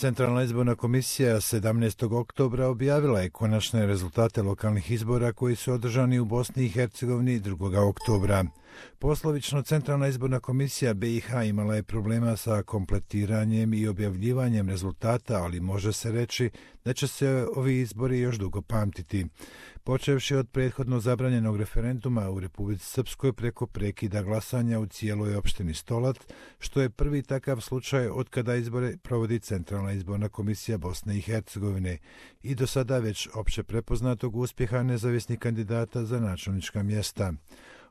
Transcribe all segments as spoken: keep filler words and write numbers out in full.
Centralna izborna komisija sedamnaestog oktobra objavila je konačne rezultate lokalnih izbora koji su održani u Bosni i Hercegovini drugog oktobra. Poslovično, Centralna izborna komisija B i H imala je problema sa kompletiranjem i objavljivanjem rezultata, ali može se reći da će se ovi izbori još dugo pamtiti. Počevši od prethodno zabranjenog referenduma u Republici Srpskoj preko prekida glasanja u cijeloj opštini Stolac, što je prvi takav slučaj od kada izbore provodi Centralna izborna komisija Bosne i Hercegovine i do sada već opće prepoznatog uspjeha nezavisnih kandidata za načelnička mjesta.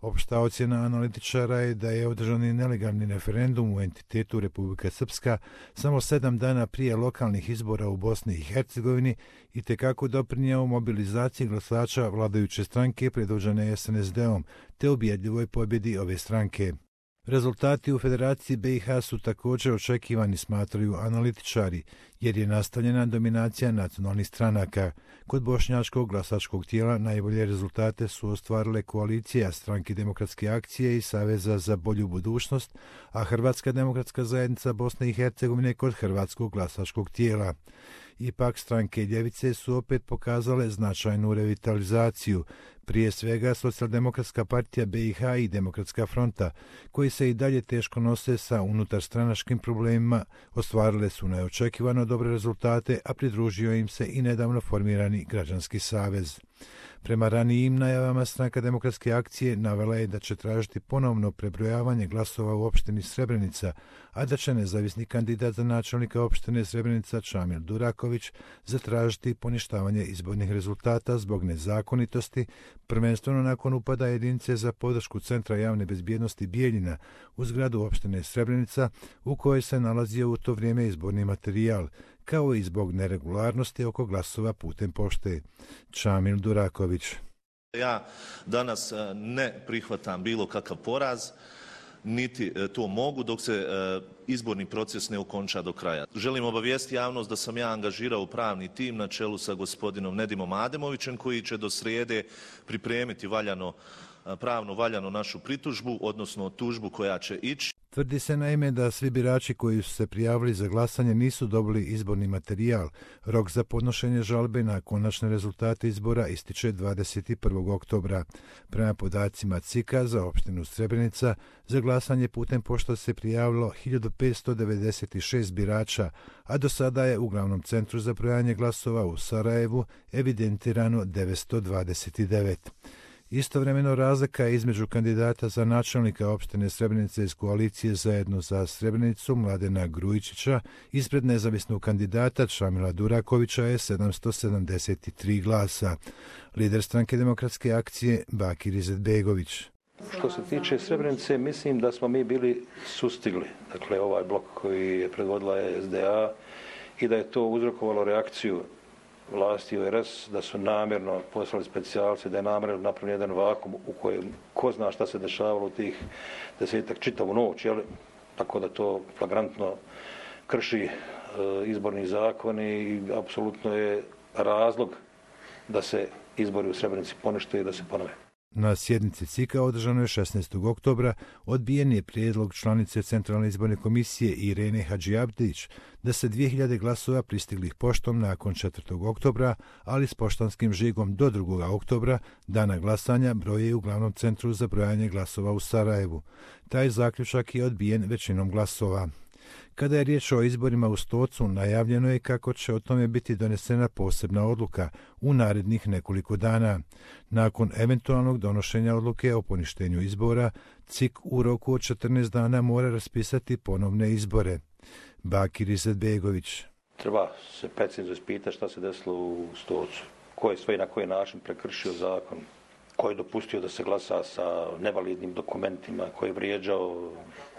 Opšta ocjena analitičara je da je održani nelegalni referendum u entitetu Republika Srpska samo sedam dana prije lokalnih izbora u Bosni i Hercegovini itekako doprinjeo mobilizaciji glasača vladajuće stranke predvođene S N S D-om te ubjedljivoj pobjedi ove stranke. Rezultati u Federaciji B i H su također očekivani, smatraju analitičari, jer je nastavljena dominacija nacionalnih stranaka. Kod bošnjačkog glasačkog tijela najbolje rezultate su ostvarile koalicija Stranke demokratske akcije i Saveza za bolju budućnost, a Hrvatska demokratska zajednica Bosne i Hercegovine kod hrvatskog glasačkog tijela. Ipak stranke ljevice su opet pokazale značajnu revitalizaciju, prije svega Socijaldemokratska partija B i H i Demokratska fronta, koji se i dalje teško nose sa unutarstranačkim problemima, ostvarile su neočekivano dobre rezultate, a pridružio im se i nedavno formirani Građanski savez. Prema ranijim najavama Stranka demokratske akcije navela je da će tražiti ponovno prebrojavanje glasova u opštini Srebrenica, a da će nezavisni kandidat za načelnika opštine Srebrenica Čamil Duraković zatražiti poništavanje izbornih rezultata zbog nezakonitosti, prvenstveno nakon upada jedinice za podršku Centra javne bezbjednosti Bijeljina u zgradu opštine Srebrenica u kojoj se nalazio u to vrijeme izborni materijal, kao i zbog neregularnosti oko glasova putem pošte. Čamil Duraković. Ja danas ne prihvatam bilo kakav poraz, niti to mogu dok se izborni proces ne okonča do kraja. Želim obavijestiti javnost da sam ja angažirao pravni tim na čelu sa gospodinom Nedimom Ademovićem koji će do srijede pripremiti valjano, pravno valjano našu pritužbu, odnosno tužbu koja će ići. Tvrdi se naime da svi birači koji su se prijavili za glasanje nisu dobili izborni materijal. Rok za podnošenje žalbe na konačne rezultate izbora ističe dvadeset prvog oktobra. Prema podacima C I K-a za opštinu Srebrenica, za glasanje putem pošte se prijavilo hiljadu petsto devedeset šest birača, a do sada je u glavnom centru za brojanje glasova u Sarajevu evidentirano devetsto dvadeset devet. Istovremeno razlika je između kandidata za načelnika opštine Srebrenica iz koalicije Zajedno za Srebrenicu Mladena Grujičića ispred nezavisnog kandidata Čamila Durakovića je sedamsto sedamdeset tri glasa. Lider Stranke demokratske akcije Bakir Izetbegović. Što se tiče Srebrenice, mislim da smo mi bili sustigli, dakle ovaj blok koji je predvodila S D A i da je to uzrokovalo reakciju vlasti u R S, da su namjerno poslali specijalce, da je namjerno napravljen jedan vakum u kojem ko zna šta se dešavalo u tih desetak čitavu noć, jel? Tako da to flagrantno krši e, izborni zakon i apsolutno je razlog da se izbori u Srebrenici ponište i da se ponove. Na sjednici C I K-a održanoj šesnaestog oktobra odbijen je prijedlog članice Centralne izborne komisije Irene Hadžiabdić da se dvije hiljade glasova pristiglih poštom nakon četvrtog oktobra, ali s poštanskim žigom do drugog oktobra, dana glasanja, broje u glavnom centru za brojanje glasova u Sarajevu. Taj zaključak je odbijen većinom glasova. Kada je riječ o izborima u Stocu, najavljeno je kako će o tome biti donesena posebna odluka u narednih nekoliko dana. Nakon eventualnog donošenja odluke o poništenju izbora, C I K u roku od četrnaest dana mora raspisati ponovne izbore. Bakir Izetbegović. Treba se precizno ispitati šta se desilo u Stocu, ko je sve i na koji način prekršio zakon, ko je dopustio da se glasa sa nevalidnim dokumentima, ko je vrijeđao,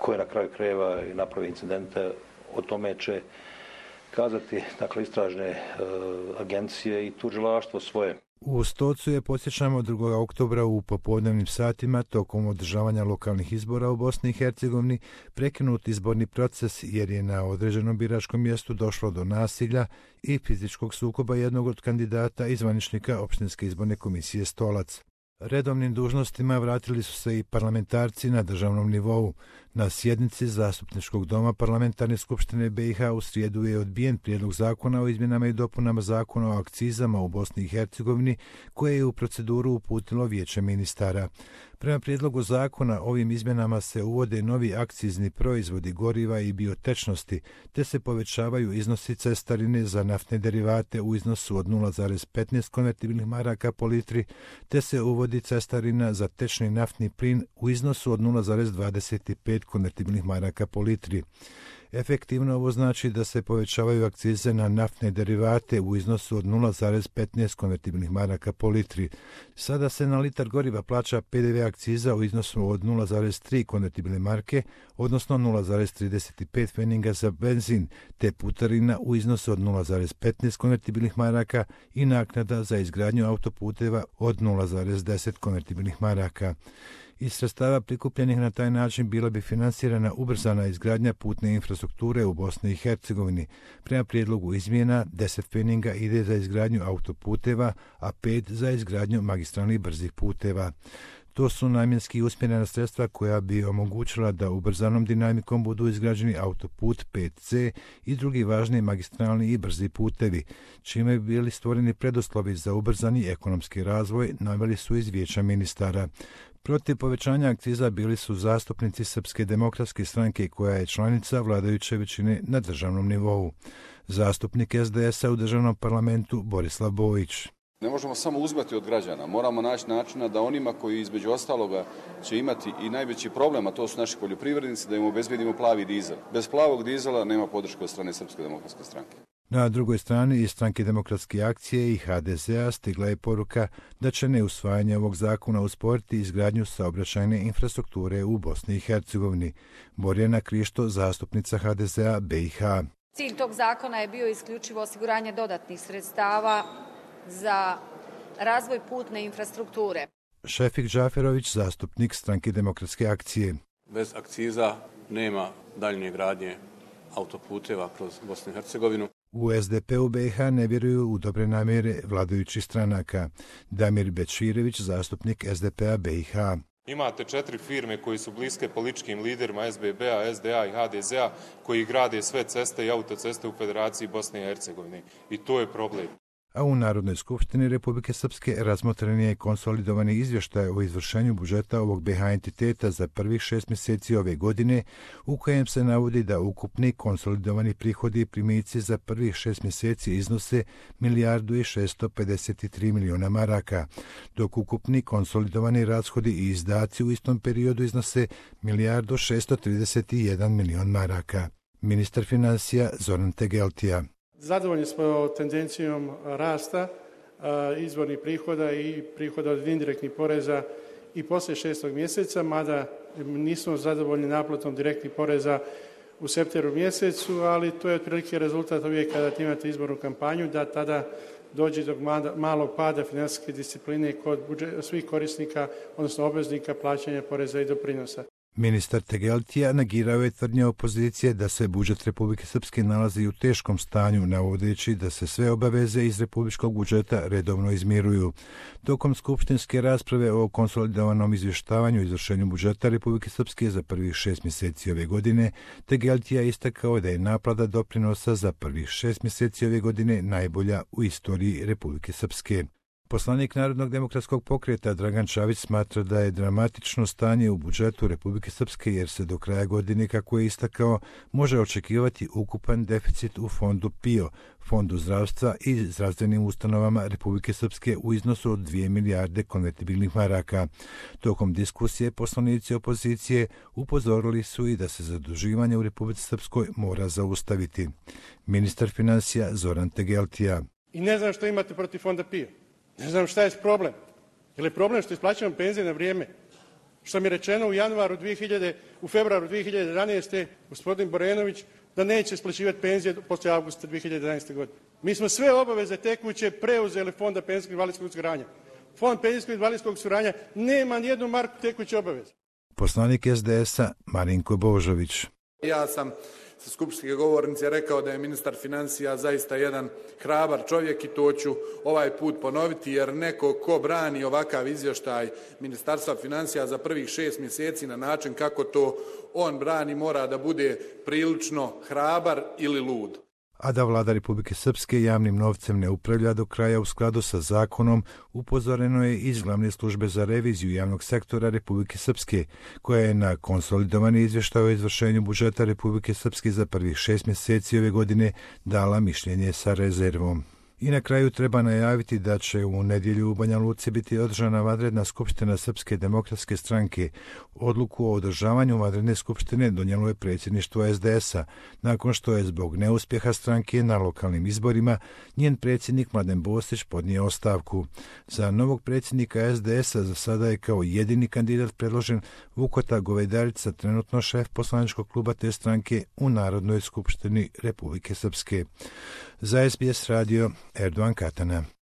ko je na kraju krajeva i napravio incidente. O tome će kazati dakle, istražne e, agencije i tužilaštvo svoje. U Stocu je, podsjećamo, drugog oktobra u popodnevnim satima tokom održavanja lokalnih izbora u Bosni i Hercegovini prekinut izborni proces jer je na određenom biračkom mjestu došlo do nasilja i fizičkog sukoba jednog od kandidata i zvaničnika opštinske izborne komisije Stolac. Redovnim dužnostima vratili su se i parlamentarci na državnom nivou. Na sjednici Zastupničkog doma Parlamentarne skupštine B i H u srijedu je odbijen prijedlog zakona o izmjenama i dopunama zakona o akcizama u Bosni i Hercegovini, koje je u proceduru uputilo Vijeće ministara. Prema prijedlogu zakona ovim izmjenama se uvode novi akcizni proizvodi goriva i biotečnosti, te se povećavaju iznosi cestarine za naftne derivate u iznosu od nula zarez petnaest konvertibilnih maraka po litri, te se uvodi cestarina za tečni naftni plin u iznosu od nula zarez dvadeset pet konvertibilnih maraka po litri. Efektivno ovo znači da se povećavaju akcize na naftne derivate u iznosu od nula zarez petnaest konvertibilnih maraka po litri. Sada se na litar goriva plaća P D V akciza u iznosu od nula zarez tri konvertibilne marke, odnosno nula zarez trideset pet pfenninga za benzin, te putarina u iznosu od nula zarez petnaest konvertibilnih maraka i naknada za izgradnju autoputeva od nula zarez deset konvertibilnih maraka. Iz sredstava prikupljenih na taj način bila bi finansirana ubrzana izgradnja putne infrastrukture u Bosni i Hercegovini. Prema prijedlogu izmjena, deset pfenninga ide za izgradnju autoputeva, a pet za izgradnju magistralnih brzih puteva. To su namjenski usmjerena sredstva koja bi omogućila da ubrzanom dinamikom budu izgrađeni autoput pet C i drugi važni magistralni i brzi putevi, čime bi bili stvoreni preduslovi za ubrzani ekonomski razvoj, naveli su iz Vijeća ministara. Protiv povećanja akciza bili su zastupnici Srpske demokratske stranke, koja je članica vladajuće većine na državnom nivou. Zastupnik S D S-a u državnom parlamentu Borislav Bojić. Ne možemo samo uzmati od građana, moramo naći načina da onima koji između ostaloga će imati i najveći problem, a to su naši poljoprivrednici, da im obezbedimo plavi dizel. Bez plavog dizela nema podrške od strane Srpske demokratske stranke. Na drugoj strani iz Stranke demokratske akcije i H D Z-a stigla je poruka da će neusvajanje ovog zakona usporiti izgradnju saobraćajne infrastrukture u Bosni i Hercegovini. Borjana Krišto, zastupnica H D Z-a B i H. Cilj tog zakona je bio isključivo osiguranje dodatnih sredstava za razvoj putne infrastrukture. Šefik Džaferović, zastupnik Stranke demokratske akcije. Bez akciza nema daljnje gradnje autoputeva kroz Bosnu i Hercegovinu. U S D P-u B i H ne vjeruju u dobre namjere vladajućih stranaka. Damir Bečirević, zastupnik S D P-a B i H. Imate četiri firme koji su bliske političkim liderima S B B-a, S D A i H D Z-a koji grade sve ceste i autoceste u Federaciji Bosne i Hercegovine. I to je problem. A u Narodnoj skupštini Republike Srpske razmotren je konsolidovani izvještaj o izvršenju budžeta ovog B i H entiteta za prvih šest mjeseci ove godine, u kojem se navodi da ukupni konsolidovani prihodi i primici za prvih šest mjeseci iznose milijardu i šesto pedeset tri miliona maraka, dok ukupni konsolidovani rashodi i izdaci u istom periodu iznose milijardu šesto trideset jedan milion maraka. Ministar financija Zoran Tegeltija. Zadovoljni smo tendencijom rasta izvornih prihoda i prihoda od indirektnih poreza i poslije šestog mjeseca, mada nismo zadovoljni naplatom direktnih poreza u septembru mjesecu, ali to je otprilike rezultat uvijek kada imate izbornu kampanju, da tada dođe do malog pada financijske discipline kod svih korisnika, odnosno obveznika plaćanja poreza i doprinosa. Ministar Tegeltija negirao je tvrdnje opozicije da se budžet Republike Srpske nalazi u teškom stanju, navodeći da se sve obaveze iz republičkog budžeta redovno izmiruju. Tokom skupštinske rasprave o konsolidovanom izvještavanju i izvršenju budžeta Republike Srpske za prvih šest mjeseci ove godine, Tegeltija istakao da je naplata doprinosa za prvih šest mjeseci ove godine najbolja u istoriji Republike Srpske. Poslanik Narodnog demokratskog pokreta Dragan Čavić smatra da je dramatično stanje u budžetu Republike Srpske, jer se do kraja godine, kako je istakao, može očekivati ukupan deficit u fondu P I O, Fondu zdravstva i zdravstvenim ustanovama Republike Srpske u iznosu od dvije milijarde konvertibilnih maraka. Tokom diskusije poslanici opozicije upozorili su i da se zaduživanje u Republici Srpskoj mora zaustaviti. Ministar financija Zoran Tegeltija. I ne znam što imate protiv fonda P I O. Ne znam šta je problem. Je li problem što isplaćamo penzije na vrijeme? Što mi je rečeno u januaru dvije hiljade, u februaru dvije hiljade jedanaeste. gospodin Borenović da neće isplaćivati penzije poslije avgusta dvije hiljade jedanaeste. godine. Mi smo sve obaveze tekuće preuzeli Fonda penzijskog i invalidskog osiguranja. Fond penzijskog i invalidskog osiguranja nema nijednu marku tekuće obaveze. Poslanik S D S-a Marinko Božović. Ja sam sa skupštinske govornice rekao da je ministar financija zaista jedan hrabar čovjek i to ću ovaj put ponoviti, jer neko ko brani ovakav izvještaj Ministarstva financija za prvih šest mjeseci na način kako to on brani mora da bude prilično hrabar ili lud. A da vlada Republike Srpske javnim novcem ne upravlja do kraja u skladu sa zakonom, upozoreno je iz glavne službe za reviziju javnog sektora Republike Srpske, koja je na konsolidovani izvještaj o izvršenju budžeta Republike Srpske za prvih šest mjeseci ove godine dala mišljenje sa rezervom. I na kraju treba najaviti da će u nedjelju u Banja Luci biti održana vanredna skupština Srpske demokratske stranke. Odluku o održavanju vanredne skupštine donijelo je predsjedništvo es de es-a, nakon što je zbog neuspjeha stranke na lokalnim izborima njen predsjednik Mladen Bostić podnio ostavku. Za novog predsjednika es de es-a za sada je kao jedini kandidat predložen Vukota Govedarica, trenutno šef poslaničkog kluba te stranke u Narodnoj skupštini Republike Srpske. Za es be es radio Erdogan Katana.